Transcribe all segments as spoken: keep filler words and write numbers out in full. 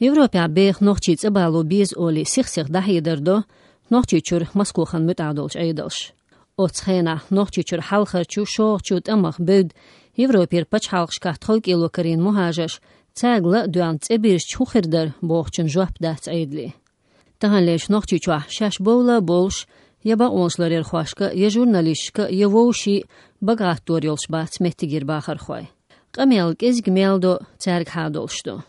Европехь беха нохчий цӀа бало беза олий сих-сиха дӀахьедар до Нохчийчуьра Москвахана муьтӀахь долчу Ӏедалша. Оцу хенахь Нохчийчуьра хьалхарчу, шолгӀачу тӀамах бевдда Европера пачхьалкхашкахь тховкӀело карийна мухӀажарш, цаьрга ла а доьгӀна, цӀе бирзича хӀун хир дара бохучун жоп дац Ӏедале. Таханлерчу Нохчийчохь шаьш бовла а бовлуш, я бакъонашларъярхошка, я журналисташка, я вовшийн бага гӀаттор йолуш бац меттигера бахархой. Къамел кӀезиг мел до, цаьрга хьадолуш ду.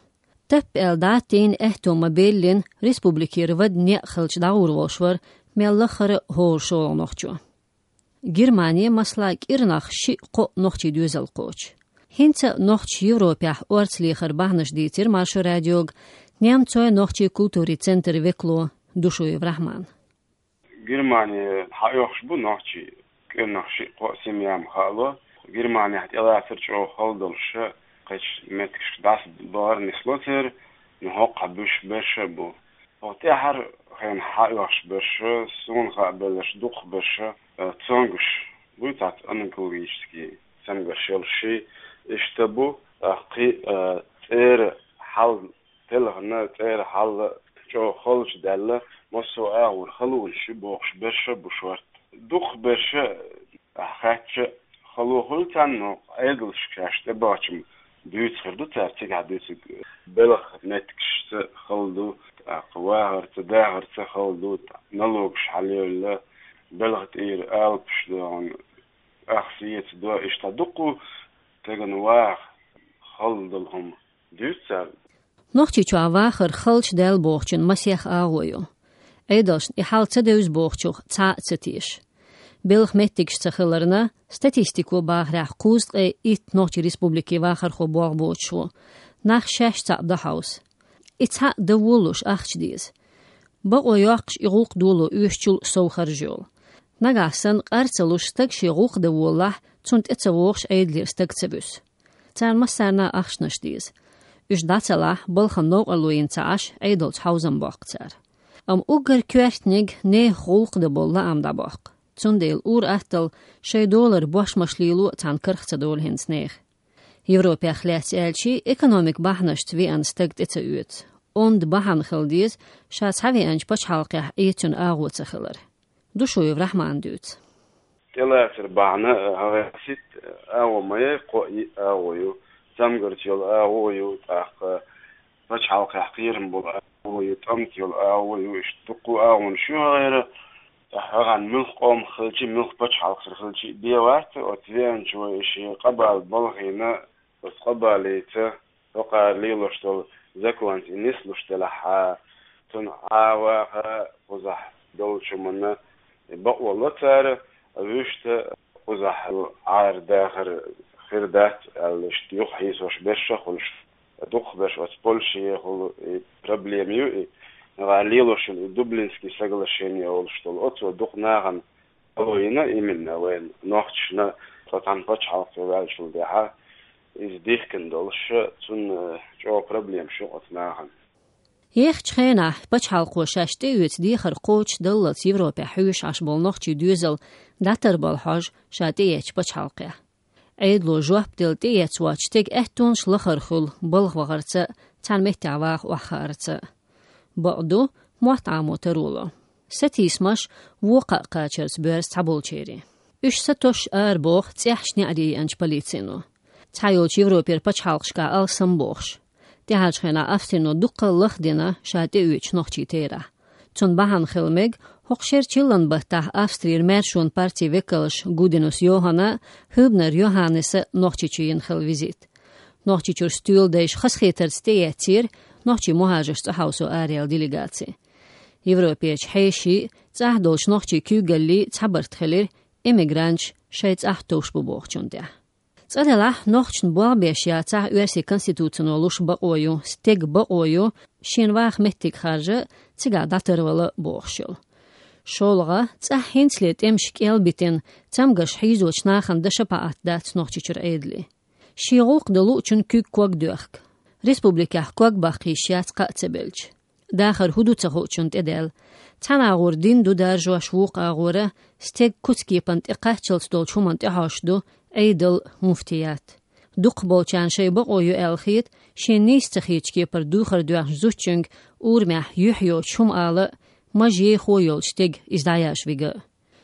Таппа аьлла дӀатийна, аьтто ма-беллина, республикера вада некъ хилча дӀагӀур волуш вара мел лаххара а хӀора шолгӀа нохчо. Германе, масала, кӀирнах шиъ-кхоъ нохчийн доьзал кхочу. ХӀинца а нохчаша Европехь орца лехар бахьанаш дийцира Маршо радиога немцойн-нохчийн культурин центран векало Душуев Рахьмана. Германе хьаоьхуш бу нохчий, кӀирнах шиъ-кхоъ семья ма хаало. Германехь тӀелацар чӀогӀа хала долуш, кхечу меттигашка дӀасабахар нисло церан, но хӀокху хьан буьсуш берш а бу. ХӀокху тӀаьхьара хенахь хьаоьхуш берш, суна хаа белларш дукхахберш, э, цомгуш буй, цхьацца онкологический цамгарш йолуш, иштта бу, тӀаккха кхин, э, цӀера хьал телхина, цӀера хьал чӀогӀа халчу даьлла, массо а агӀор халонаш ю бохуш берш а бу шорта. Дукхахберш, ахь хаьттича, хало хуьлу царна, но Ӏедалшка шаьш тӀебахча-м дуьйцур ду цара, цигахь дуьйцург белхан меттигашца хала ду, тӀаккха вахарца, дахарца хала ду, налогаш хьалайолла, белхан тӀера алапаш доьгӀна, ах сецадо, иштта дуккха стеган ваха хала долу хӀума дуьйцу цара. Нохчийчохь вахар халчу даьлла бохучун масех агӀо ю. Ӏедалшна и хьал ца девза бохучух цхьа а ца теша. Белхан меттигаш ца хиларна, статистико бахарехь, кхузткъе итт нохчийн республике вахархо болх боцуш ву, нах шаьш цхьаъ дан хьовса. И цхьаъ дан волалуш ахча деза. Бакъо йоккхуш, и гӀуллакх доло оьшучул сов харж йолу. Нагахь санна къар ца луш стаг шен гӀуллакх дан волалахь, цунна тӀе ца вогӀуш Ӏедалера стаг ца буьсу. Царна массарна а ахчанаш деза. Уьш дӀа ца лахь, балхана новкъарло йина ца Ӏаш, Ӏедалца хьовзам боккху цара. Амма уггар коьртаниг нехан гӀуллакх дан болу лаам дӀабоккху. Цундела ур-атталла шайн долара бошмаш лело а цхьана карах ца долу хӀинца нехан. Европех лаьцна аьлча, экономикан бахьанашца веана стаг тӀе ца оьцу. Онда бахьана хила деза ша цхьавеанчу пачхьалкхехь Ӏе цуьнан агӀо ца хилар. Душуев Рахьмана дуьйцу. ТӀелацар бахьана, хьан гӀертарий, агӀо ма яй, кхоъ-йиъ агӀо ю, цамгарца йолу агӀо ю, тӀаккха пачхьалкхехь кхерам болу агӀо ю, тӀамца йолу агӀо ю, иштта дуккха а агӀонаш ю хьан гӀера. Ахьа хьан муьлхха къомах хилча, муьлхха пачхьалкхера хилча бен вац, оцу веанчо и шен къа бала балхийна, оцу къа балица, хӀокхара лелош долу законца и нислуш делахь, цунна Ӏа ваха, кхузахь долчу хӀуманна бакъо ло цара, вуьшта кхузахь Ӏара дахар хир дац аьлла, иштта юхахьийсош берш а хуьлуш, дукхахберш оцу Польшехула и проблема ю, и нагахь лелош йолу и Дублинский соглашение олуш долу, оцо дукха нахана хало йина, именно вайн нохчашна, цхьа цхьана пачхьалкхе ваьллачул тӀаьхьа иза дихкина долуш, цунна чӀогӀа проблемаш ю оцу нахана. Ехачу хенахь пачхьалкхо шаьш тӀеоьцу дехар кхочушдаллалц Европехь хьоьжуш Ӏаш болу нохчийн доьзал дӀатарбала хьожу ша тӀеэцначу пачхьалкхехь. Ӏедало жоп делла тӀеэцна воцчу стеган аьттонаш лахара хуьлу балха вахарца, цхьана меттехь ваха охьахаарца. Бакъ ду, мотт Ӏамо таро ло. Сатийсамаш вон кхаа кхачарца боьрзу цхьаболчеран. Уьш сатосуш арабоху цӀеххьана неӀаре еанчу полицино. Цхьайолчу Европера пачхьалкхашкахь алсамбохуш. ТӀаьхьарчу хенахь Австрино дуккха а лахдина ша тӀеоьцучу нохчийн терахь. Цунна бахьана хила мега хӀокху шеран чиллан баттахь Австрера маьршонан партин векалша Гуденус Йоханна, Хьюбнер Йоханнеса Нохчийчу йина хилла визит. Нохчийчуьра стоьладайша хазахетарца тӀеэцнера нохчийн мухӀажарш цӀа хьовсо араяьлла делегаци. Европерчу хьешийн, цӀахь долчу нохчийн куьйгаллийн цхьабарт хилира эмигранташ шайн цӀахь товш бу бохучун тӀехь. Цкъа делахь, нохчашна болх беш яцахь, оьрсийн конституцино луш бакъо ю, стеган бакъо ю, шена ваха меттиг харжа, цигахь дӀатарвала бохуш йолу. ШолгӀа, цӀахь хӀинцале тӀемаш кӀел битина, цамгарш хьийзочу нахана дан шапаӀат дац Нохчийчуьра Ӏедале. Шен гӀуллакх дан луучун куьг ког доьхку. Республикехь ког баккха йиш яц кхаъ ца белча. Дахар хӀун ду ца хуучун тӀедаьлла. Цхьана агӀор дин ду даржош, вукху агӀора стеган куц-кепана тӀекхаччалц долчу хӀуманна тӀехьожуш ду Ӏедал, муфтият. Дукхахболчарна шоай бокъо ю аьлла хета, шоашта нийса ца хетача кепара духар доьхнача зудчуьнга урамехь юхь йоцуш хӀума ала а, мажа ехо йолчу стеган иза дӀаяш вига а.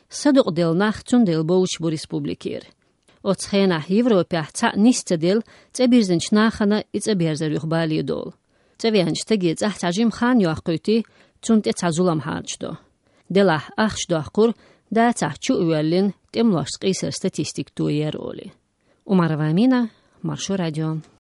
Садукъаделла нах цундела бовзуш бу республикера. Оцу хенахь Европехь цхьаъ нийса ца делла, цӀа бирзинчу нахана и цӀа берзар юха бале долу. ЦӀа веанчу стаге цӀахь цхьа жима хан йоккхуьйтий, цунна тӀе цхьа зулам хьарчадо. Делахь ахча доккхура, дацахь чу а воьллина, тӀемалошца къийсар статистика тояр олий. Умарова Амина, Маршо радио.